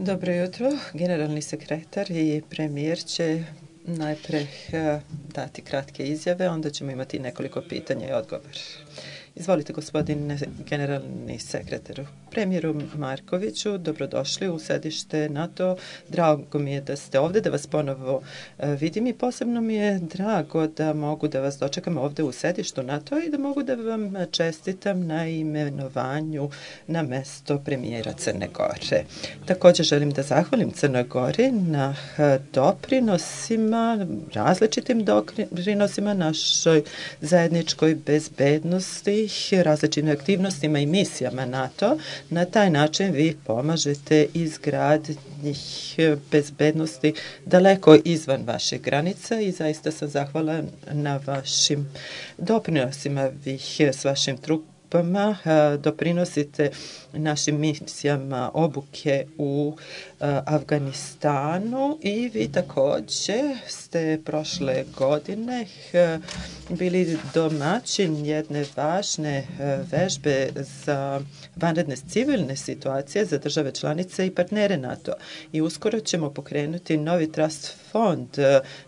Dobro jutro. Generalni sekretar i premijer će najpre dati kratke izjave, onda ćemo imati nekoliko pitanja i odgovor. Izvolite, gospodine generalni sekretaru. Premijeru Markoviću, dobrodošli u sedište NATO. Drago mi je da ste ovde, da vas ponovo vidim i posebno mi je drago da mogu da vas dočekam ovde u sedištu NATO i da mogu da vam čestitam na imenovanju na mesto premijera Crne Gore. Također želim da zahvalim Crnoj Gori na doprinosima, različitim doprinosima našoj zajedničkoj bezbednosti, različitim aktivnostima i misijama NATO. Na taj način vi pomažete izgradnji bezbednosti daleko izvan vaših granica i zaista sam zahvala na vašim doprinosima. Vi s vašim trupama doprinosite našim misijama obuke u Afganistanu i vi također ste prošle godine bili domaćin jedne važne vežbe za vanredne civilne situacije za države članice i partnere NATO. I uskoro ćemo pokrenuti novi trust fond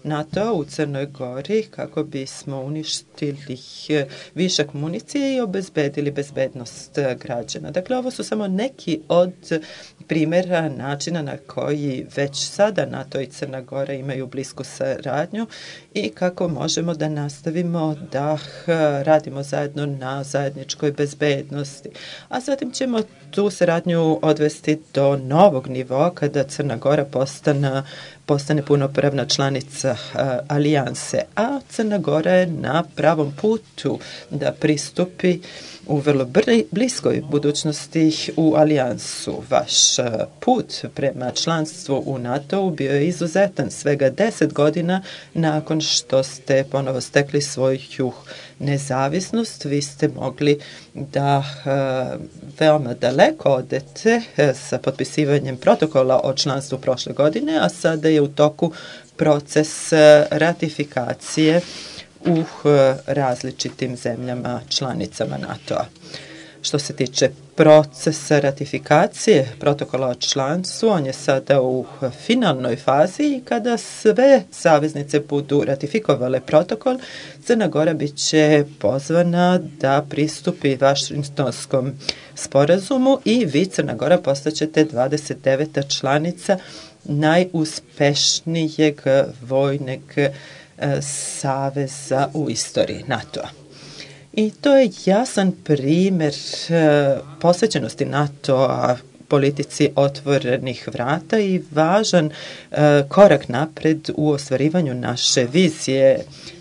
NATO u Crnoj Gori kako bismo uništili višak municije i obezbedili bezbednost građana. Dakle, ovo su samo neki od primjera načina na koji već sada NATO i Crna Gora imaju blisku saradnju i kako možemo da nastavimo da radimo zajedno na zajedničkoj bezbednosti. A zatim ćemo tu saradnju odvesti do novog nivoa kada Crna Gora postane punopravna članica alijanse, a Crna Gora je na pravom putu da pristupi u vrlo bliskoj budućnosti u alijansu. Vaš put prema članstvu u NATO bio je izuzetan svega 10 godina nakon što ste ponovo stekli svoju nezavisnost. Vi ste mogli da veoma daleko odete sa potpisivanjem protokola o članstvu prošle godine, a sada je u toku proces ratifikacije u različitim zemljama članicama NATO-a. Što se tiče procesa ratifikacije protokola o članstvu, on je sada u finalnoj fazi i kada sve saveznice budu ratifikovale protokol, Crna Gora bit će pozvana da pristupi Vašingtonskom sporazumu i vi, Crna Gora, postaćete 29. članica najuspešnijeg vojnog saveza u istoriji NATO-a. I to je jasan primjer posvećenosti NATO-a politici otvorenih vrata i važan korak napred u ostvarivanju naše vizije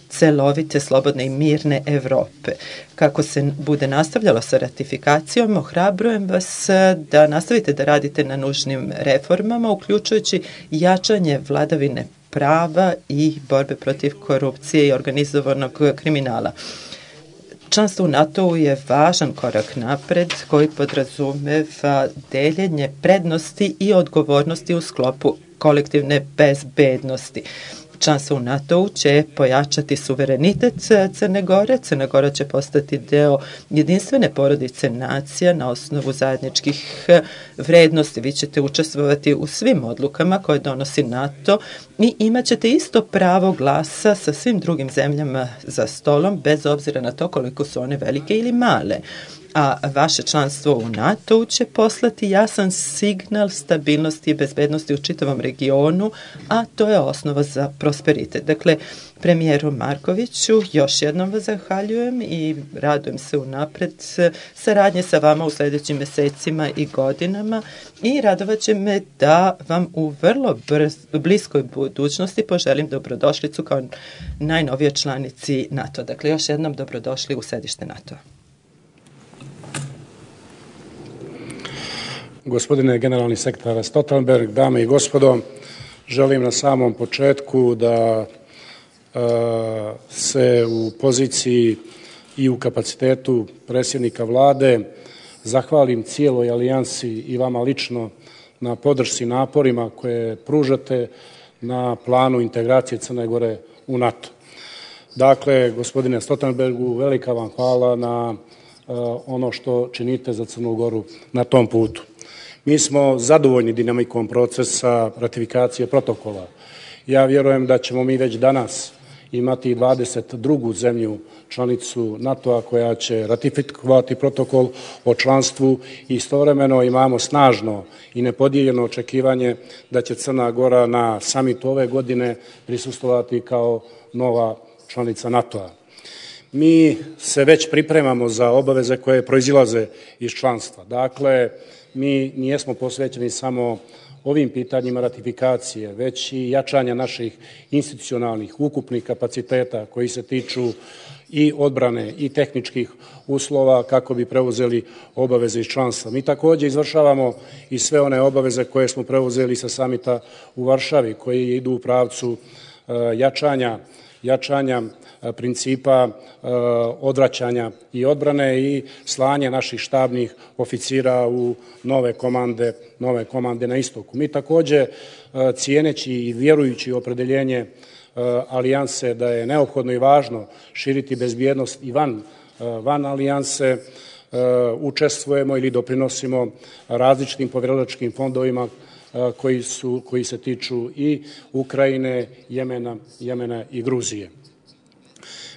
celovite, slobodne i mirne Evrope. Kako se bude nastavljalo sa ratifikacijom, ohrabrujem vas da nastavite da radite na nužnim reformama, uključujući jačanje vladavine prava i borbe protiv korupcije i organizovanog kriminala. Članstvo u NATO-u je važan korak napred koji podrazumeva deljenje prednosti i odgovornosti u sklopu kolektivne bezbednosti. Članstvo u NATO-u će pojačati suverenitet Crne Gore. Crna Gora će postati deo jedinstvene porodice nacija na osnovu zajedničkih vrednosti. Vi ćete učestvovati u svim odlukama koje donosi NATO i imat ćete isto pravo glasa sa svim drugim zemljama za stolom, bez obzira na to koliko su one velike ili male. A vaše članstvo u NATO će poslati jasan signal stabilnosti i bezbednosti u čitavom regionu, a to je osnova za prosperitet. Dakle, premijeru Markoviću, još jednom vas zahvaljujem i radujem se unapred saradnje sa vama u sljedećim mesecima i godinama i radovat će me da vam u vrlo bliskoj budućnosti poželim dobrodošlicu kao najnovije članici NATO. Dakle, još jednom dobrodošli u sedište NATO. Gospodine generalni sekretar Stoltenberg, dame i gospodo, želim na samom početku da se u poziciji i u kapacitetu predsjednika vlade zahvalim cijeloj alijansi i vama lično na podršci naporima koje pružate na planu integracije Crne Gore u NATO. Dakle, gospodine Stoltenbergu, velika vam hvala na ono što činite za Crnu Goru na tom putu. Mi smo zadovoljni dinamikom procesa ratifikacije protokola. Ja vjerujem da ćemo mi već danas imati 22. zemlju članicu NATO-a koja će ratifikovati protokol o članstvu i istovremeno imamo snažno i nepodijeljeno očekivanje da će Crna Gora na samitu ove godine prisustvovati kao nova članica NATO-a. Mi se već pripremamo za obaveze koje proizilaze iz članstva. Dakle, mi nijesmo posvećeni samo ovim pitanjima ratifikacije, već i jačanja naših institucionalnih ukupnih kapaciteta koji se tiču i odbrane i tehničkih uslova kako bi preuzeli obaveze iz članstva. Mi također izvršavamo i sve one obaveze koje smo preuzeli sa samita u Varšavi, koji idu u pravcu jačanja principa odvraćanja i odbrane i slanje naših štabnih oficira u nove komande na istoku. Mi također, cijeneći i vjerujući u opredeljenje alijanse da je neophodno i važno širiti bezbjednost i van alijanse, učestvujemo ili doprinosimo različitim povjerilačkim fondovima koji se tiču i Ukrajine, Jemena i Gruzije.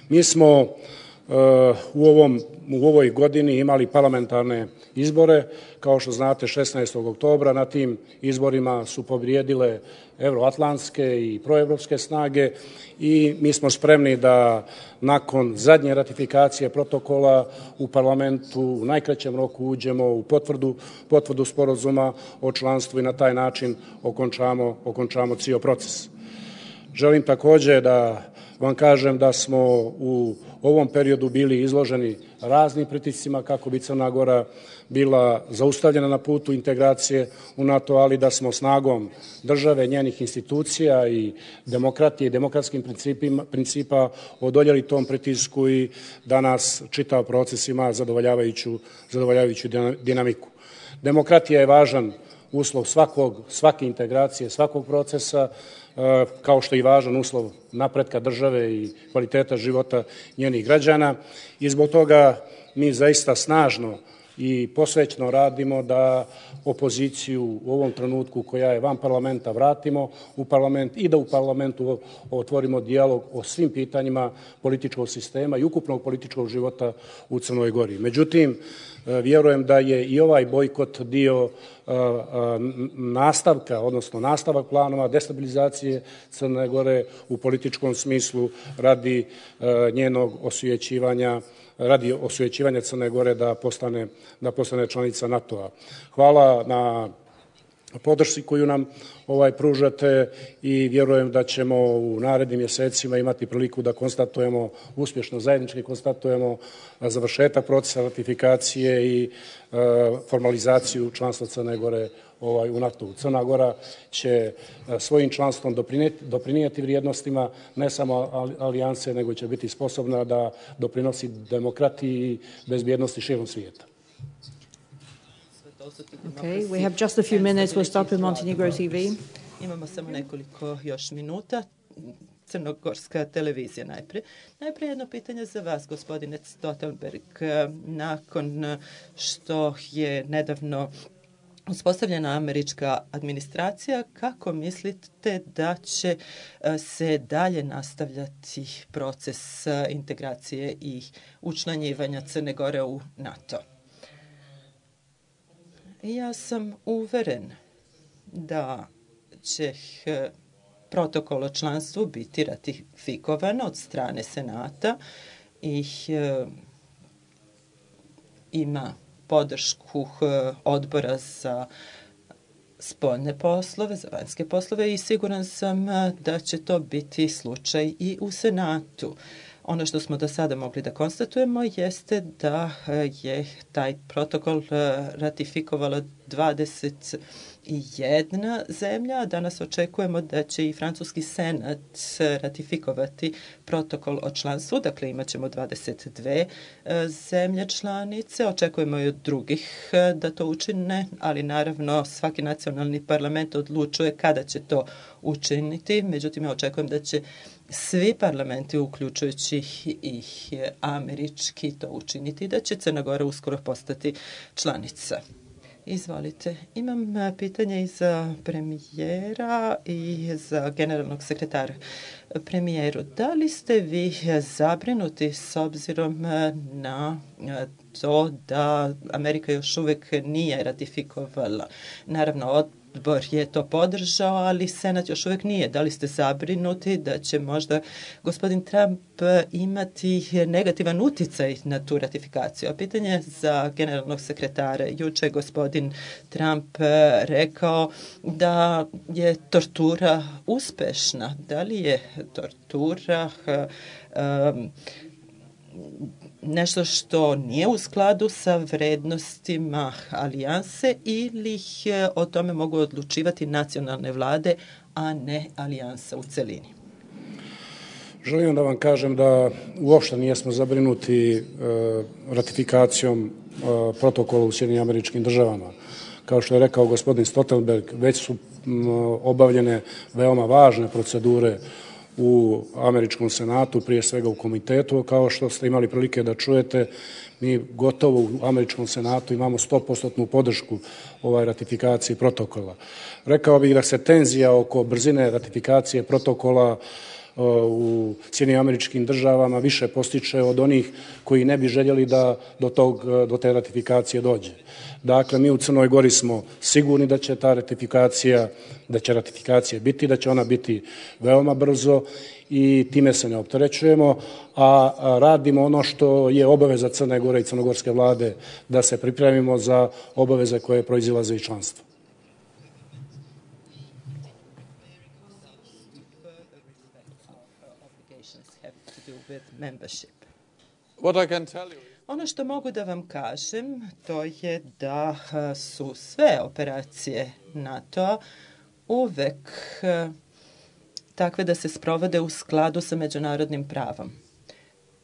Mi smo u ovoj godini imali parlamentarne izbore. Kao što znate, 16. oktobra na tim izborima su pobijedile euroatlantske i proevropske snage i mi smo spremni da nakon zadnje ratifikacije protokola u parlamentu u najkraćem roku uđemo u potvrdu sporazuma o članstvu i na taj način okončamo cijel proces. Želim također da vam kažem da smo u ovom periodu bili izloženi raznim pritiscima kako bi Crna Gora bila zaustavljena na putu integracije u NATO, ali da smo snagom države, njenih institucija i demokratije i demokratskim principa odoljeli tom pritisku i danas čitav proces ima zadovoljavajuću dinamiku. Demokratija je važan uslov svake integracije, svakog procesa, kao što je i važan uslov napretka države i kvaliteta života njenih građana i zbog toga mi zaista snažno i posvećno radimo da opoziciju u ovom trenutku koja je van parlamenta vratimo u parlament i da u parlamentu otvorimo dijalog o svim pitanjima političkog sistema i ukupnog političkog života u Crnoj Gori. Međutim, vjerujem da je i ovaj bojkot dio nastavak planova destabilizacije Crne Gore u političkom smislu radi njenog osvećivanja Crne Gore da postane članica NATO-a. Hvala na podršci koju nam pružate i vjerujem da ćemo u narednim mjesecima imati priliku da uspješno zajednički konstatujemo završetak procesa ratifikacije i formalizaciju članstva Crne Gore u NATO-u. Crna Gora će svojim članstvom doprinijeti vrijednostima ne samo alijanse, nego će biti sposobna da doprinosi demokratiji i bezbjednosti širom svijeta. Okay, we have just a few minutes. We'll start with Montenegro TV. Imamo samo nekoliko još minuta. Crnogorska televizija najprije. Najprije jedno pitanje za vas, gospodine Stoltenberg. Nakon što je nedavno uspostavljena američka administracija, kako mislite da će se dalje nastavljati proces integracije i učlanjivanja Crne Gore u NATO? Ja sam uveren da će protokol o članstvu biti ratifikovan od strane Senata i ima podršku odbora za spoljne poslove, za vanjske poslove i siguran sam da će to biti slučaj i u Senatu. Ono što smo do sada mogli da konstatujemo jeste da je taj protokol ratifikovala 21 zemlja. Danas očekujemo da će i francuski senat ratifikovati protokol o članstvu. Dakle, imat ćemo 22 zemlje članice. Očekujemo i od drugih da to učine, ali naravno svaki nacionalni parlament odlučuje kada će to učiniti. Međutim, ja očekujem da će svi parlamenti, uključujući i američki, to učiniti, da će Crna Gora uskoro postati članica. Izvolite. Imam pitanje i za premijera i za generalnog sekretara. Premijeru, da li ste vi zabrinuti s obzirom na to da Amerika još uvek nije ratifikovala? Naravno, odbor je to podržao, ali Senat još uvek nije. Da li ste zabrinuti da će možda gospodin Trump imati negativan uticaj na tu ratifikaciju? A pitanje za generalnog sekretara. Juče je gospodin Trump rekao da je tortura uspešna. Da li je tortura nešto što nije u skladu sa vrednostima alijanse ili o tome mogu odlučivati nacionalne vlade, a ne alijansa u celini? Želim da vam kažem da uopšte nijesmo zabrinuti ratifikacijom protokola u Sjedinjenim Američkim Državama. Kao što je rekao gospodin Stoltenberg, već su obavljene veoma važne procedure u američkom senatu, prije svega u komitetu. Kao što ste imali prilike da čujete, mi gotovo u američkom senatu imamo 100% podršku ratifikaciji protokola. Rekao bih da se tenzija oko brzine ratifikacije protokola u Sjedinjenim Američkim Državama više postiče od onih koji ne bi željeli da do te ratifikacije dođe. Dakle, mi u Crnoj Gori smo sigurni da će ratifikacija biti, da će ona biti veoma brzo i time se ne opterećujemo, a radimo ono što je obaveza Crne Gore i crnogorske vlade, da se pripremimo za obaveze koje proizilaze iz članstva. Ono što mogu da vam kažem, to je da su sve operacije NATO uvek takve da se sprovode u skladu sa međunarodnim pravom.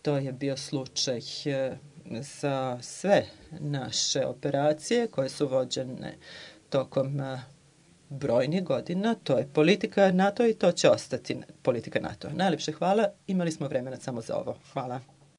To je bio slučaj za sve naše operacije koje su vođene tokom brojnih godina. To je politika NATO i to će ostati politika NATO. Najlepše hvala. Imali smo vremena samo za ovo. Hvala.